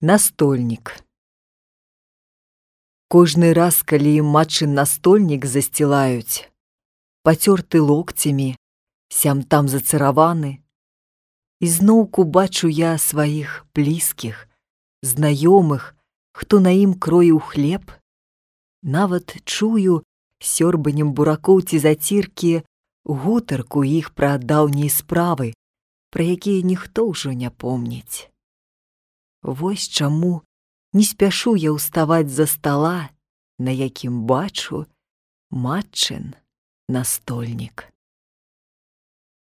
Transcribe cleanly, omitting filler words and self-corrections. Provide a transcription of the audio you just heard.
Настольнік. Кожны раз, калі матчын настольнік засцілаюць, пацёрты локцямі, сям-там зацыраваны, ізноўку бачу я сваіх блізкіх, знаёмых, хто на ім кроіў хлеб, нават чую сёрбаннем буракоў ці заціркі гутарку іх пра даўнія справы, пра якія ніхто ўжо не помніць. Вось чаму не спяшу я ўставаць за стала, на якім бачу матчын настольнік.